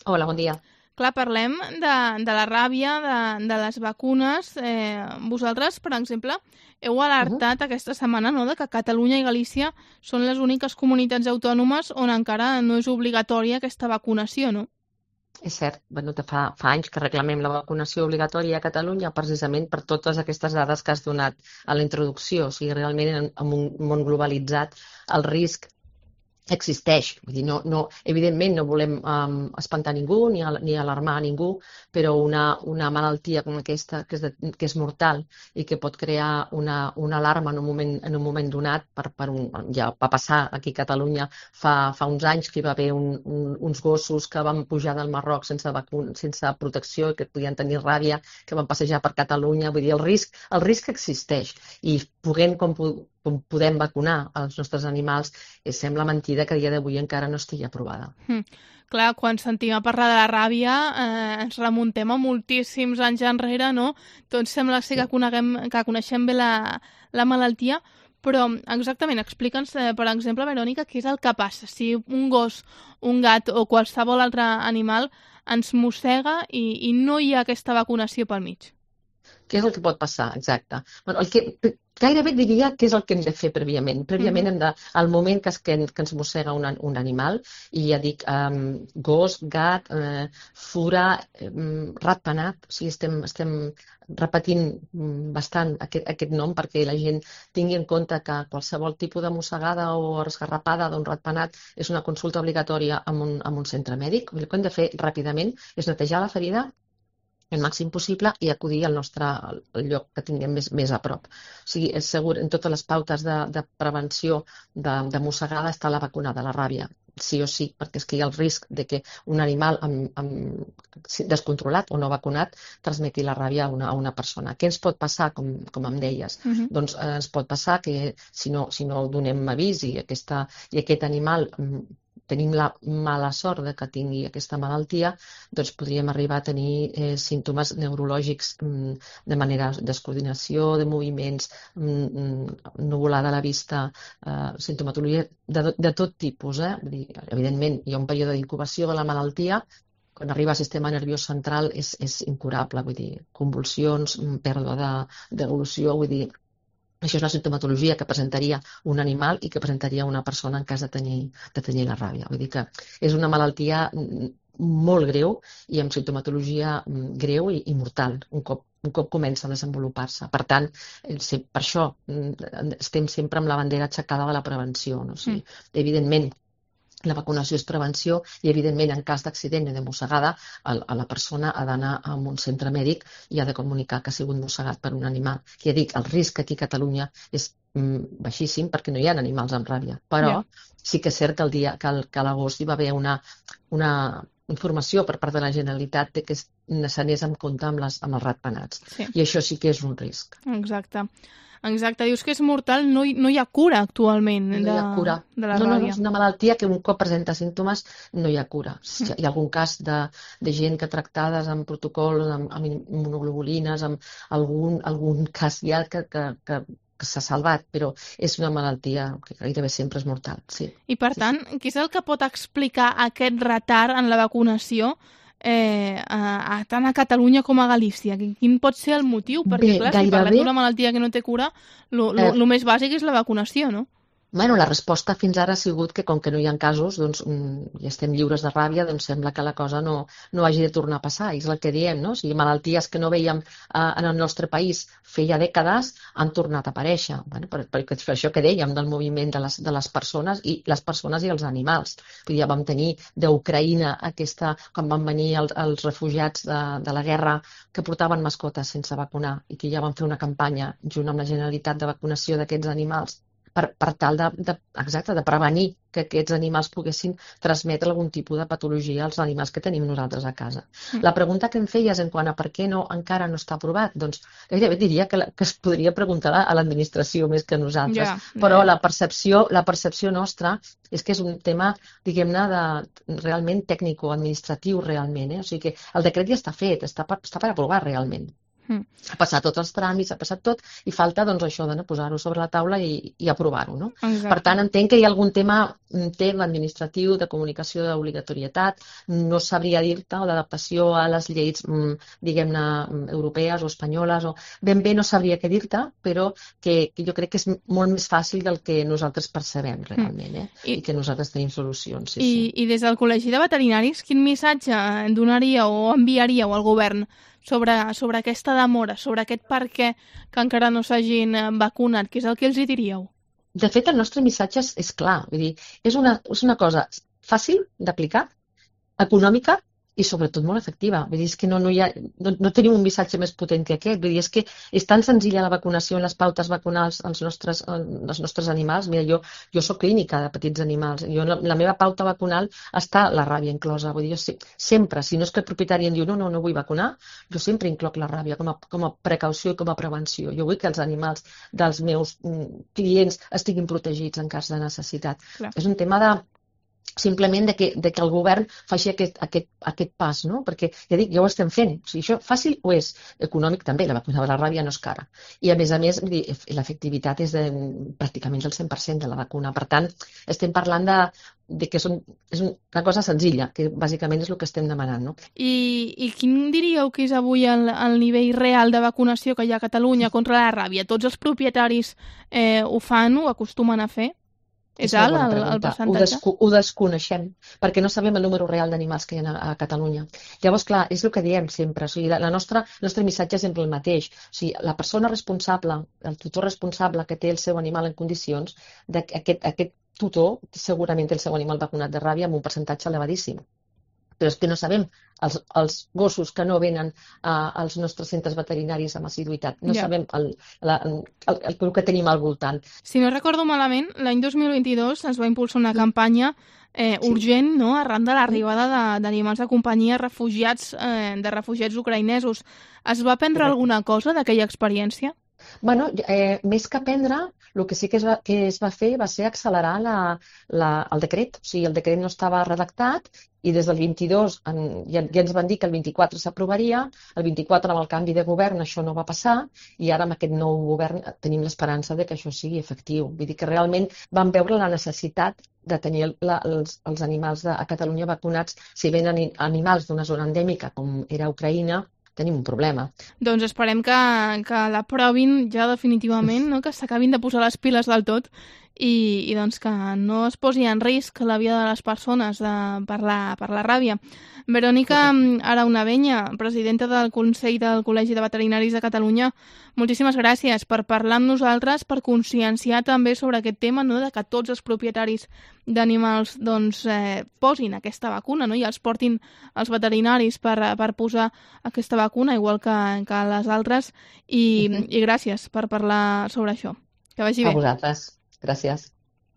Hola, bon dia. Clar, parlem de la ràbia, de les vacunes. Vosaltres, per exemple, heu Mhm. alertat aquesta setmana, no?, de que Catalunya i Galícia són les úniques comunitats autònomes on encara no és obligatòria aquesta vacunació, no? És cert, bueno, fa anys que reclamem la vacunació obligatòria a Catalunya precisament per totes aquestes dades que has donat a la introducció. O sigui, realment en un món globalitzat el risc existeix. Vull dir, evidentment no volem espantar ningú ni alarmar a ningú, però una malaltia com aquesta, que és mortal i que pot crear una alarma en un moment donat, ja va passar aquí a Catalunya fa uns anys que hi va haver uns gossos que van pujar del Marroc sense protecció i que podien tenir ràbia, que van passejar per Catalunya. Vull dir, el risc existeix i com podem vacunar els nostres animals, sembla mentida que a dia d'avui encara no estigui aprovada. Clar, quan sentim a parlar de la ràbia ens remuntem a moltíssims anys enrere, no? Tots sembla ser Sí. que coneixem bé la malaltia, però exactament, explica'ns, per exemple, Verònica, què és el que passa si un gos, un gat o qualsevol altre animal ens mossega i no hi ha aquesta vacunació pel mig. Què és el que pot passar? Exacte. Bueno, gairebé diria què és el que hem de fer prèviament. Prèviament al moment que ens mossega un animal, i ja dic, gos, gat, fura, ratpenat, o sigui, estem repetint bastant aquest nom perquè la gent tingui en compte que qualsevol tipus de mossegada o esgarrapada d'un ratpenat és una consulta obligatòria en un centre mèdic. El que hem de fer ràpidament és netejar la ferida el màxim possible i acudir al lloc que tinguem més a prop. O sigui, és segur, en totes les pautes de prevenció de mossegada està la vacuna de la ràbia, sí o sí, perquè és que hi ha el risc de que un animal descontrolat o no vacunat transmeti la ràbia a una persona. Què ens pot passar, com em deies? Doncs ens pot passar que si no donem avís i aquest animal tenim la mala sort de que tingui aquesta malaltia, doncs podríem arribar a tenir símptomes neurològics de manera de descoordinació, de moviments, nuvolada a la vista, sintomatologia de tot tipus. Vull dir, evidentment, hi ha un període d'incubació de la malaltia. Quan arriba al sistema nerviós central és incurable, vull dir, convulsions, pèrdua d'evolució, vull dir, això és la sintomatologia que presentaria un animal i que presentaria una persona en cas de tenir la ràbia. Vull dir que és una malaltia molt greu i amb sintomatologia greu i mortal un cop comença a desenvolupar-se. Per tant, per això estem sempre amb la bandera aixecada de la prevenció. No? O sigui, evidentment, la vacunació és prevenció i, evidentment, en cas d'accident o de mossegada, la persona ha d'anar a un centre mèdic i ha de comunicar que ha sigut mossegat per un animal. Ja dic, el risc aquí a Catalunya és baixíssim perquè no hi ha animals amb ràbia, però sí que és cert que a l'agost hi va haver una informació per part de la Generalitat de que s'anés amb compte amb els ratpenats. Sí. I això sí que és un risc. Exacte. Dius que és mortal, no hi ha cura actualment No hi ha cura. de la No, ràbia. és una malaltia que un cop presenta símptomes no hi ha cura. Hi ha algun cas de gent que tractades amb protocols, amb immunoglobulines, amb algun cas ja que s'ha salvat, però és una malaltia que gairebé sempre és mortal. Sí. I per tant, què és el que pot explicar aquest retard en la vacunació tant a Catalunya com a Galícia? Quin pot ser el motiu? Perquè, clar, si parlem d'una malaltia que no té cura, el més bàsic és la vacunació, no? Bueno, la resposta fins ara ha sigut que, com que no hi ha casos, doncs, i estem lliures de ràbia, doncs sembla que la cosa no hagi de tornar a passar. I és el que diem, no? O sigui, malalties que no veiem en el nostre país feia dècades han tornat a aparèixer. Bueno, per això que dèiem del moviment de les persones i els animals. Ja vam tenir d'Ucraïna quan van venir els refugiats de la guerra que portaven mascotes sense vacunar i que ja van fer una campanya junt amb la Generalitat de vacunació d'aquests animals per tal de prevenir que aquests animals poguessin transmetre algun tipus de patologia als animals que tenim nosaltres a casa. La pregunta que em feies en quant a per què encara no està aprovat, doncs gairebé diria que es podria preguntar a l'administració més que a nosaltres, però la percepció nostra és que és un tema, diguem-ne, realment tècnico-administratiu realment. O sigui que el decret ja està fet, està per aprovar realment. Ha passat tots els tràmits, ha passat tot, i falta doncs això de posar-ho sobre la taula i aprovar-ho, no? Per tant, entenc que hi ha algun tema administratiu, de comunicació d'obligatorietat, no sabria dir-te, o d'adaptació a les lleis, diguem-ne, europees o espanyoles, o ben bé no sabria què dir-te, però que jo crec que és molt més fàcil del que nosaltres percebem realment, i que nosaltres tenim solucions. I des del Col·legi de Veterinaris, quin missatge donaríeu o enviaríeu al govern sobre aquesta demora, sobre aquest per què que encara no s'hagin vacunat? Què és el que els hi diríeu? De fet, el nostre missatge és clar. Vull dir, és una cosa fàcil d'aplicar, econòmica i sobretot molt efectiva. Vull dir, és que no tenim un missatge més potent que aquest. Vull dir, és que és tan senzilla la vacunació en les pautes vacunals als nostres animals. Mira, jo soc clínica de petits animals. La meva pauta vacunal està la ràbia inclosa. Vull dir, jo sempre, si no és que el propietari em diu no vull vacunar, jo sempre incloc la ràbia com a precaució i com a prevenció. Jo vull que els animals dels meus clients estiguin protegits en cas de necessitat. Clar. És un tema simplement de que el govern faci aquest pas, no? Perquè, ja dic, ja ho estem fent. O sigui, això fàcil ho és, econòmic també, la vacuna de la ràbia no és cara. I a més, l'efectivitat és pràcticament del 100% de la vacuna. Per tant, estem parlant de que és una cosa senzilla, que bàsicament és el que estem demanant, no? I quin diríeu que és avui el nivell real de vacunació que hi ha a Catalunya contra la ràbia? Tots els propietaris ho fan, ho acostumen a fer? És alt el percentatge? Ho desconeixem, perquè no sabem el número real d'animals que hi ha a Catalunya. Llavors, clar, és el que diem sempre. O sigui, el nostre missatge és sempre el mateix. O sigui, la persona responsable, el tutor responsable que té el seu animal en condicions, aquest tutor segurament té el seu animal vacunat de ràbia amb un percentatge elevadíssim. Però és que no sabem els gossos que no venen als nostres centres veterinaris amb assiduïtat. No sabem el que tenim al voltant. Si no recordo malament, l'any 2022 es va impulsar una campanya urgent, no?, arran de l'arribada d'animals de companyia de refugiats ucraïnesos. Es va aprendre alguna cosa d'aquella experiència? Bueno, més que aprendre, el que sí que es va fer va ser accelerar el decret. O sigui, el decret no estava redactat i des del 22 ja ens van dir que el 24 s'aprovaria, el 24 amb el canvi de govern això no va passar i ara amb aquest nou govern tenim l'esperança de que això sigui efectiu. Vull dir que realment vam veure la necessitat de tenir els animals a Catalunya vacunats. Si venen animals d'una zona endèmica com era Ucraïna, tenim un problema. Doncs esperem que l'aprovin ja definitivament, no? Que s'acabin de posar les piles del tot i doncs que no es posi en risc la vida de les persones per la ràbia. Verònica Araunabeña, presidenta del Consell del Col·legi de Veterinaris de Catalunya, moltíssimes gràcies per parlar amb nosaltres, per conscienciar també sobre aquest tema, no?, de que tots els propietaris d'animals doncs, posin aquesta vacuna, no?, i els portin als veterinaris per posar aquesta vacuna, igual que les altres, i gràcies per parlar sobre això. Que vagi bé. A vosaltres. Gràcies.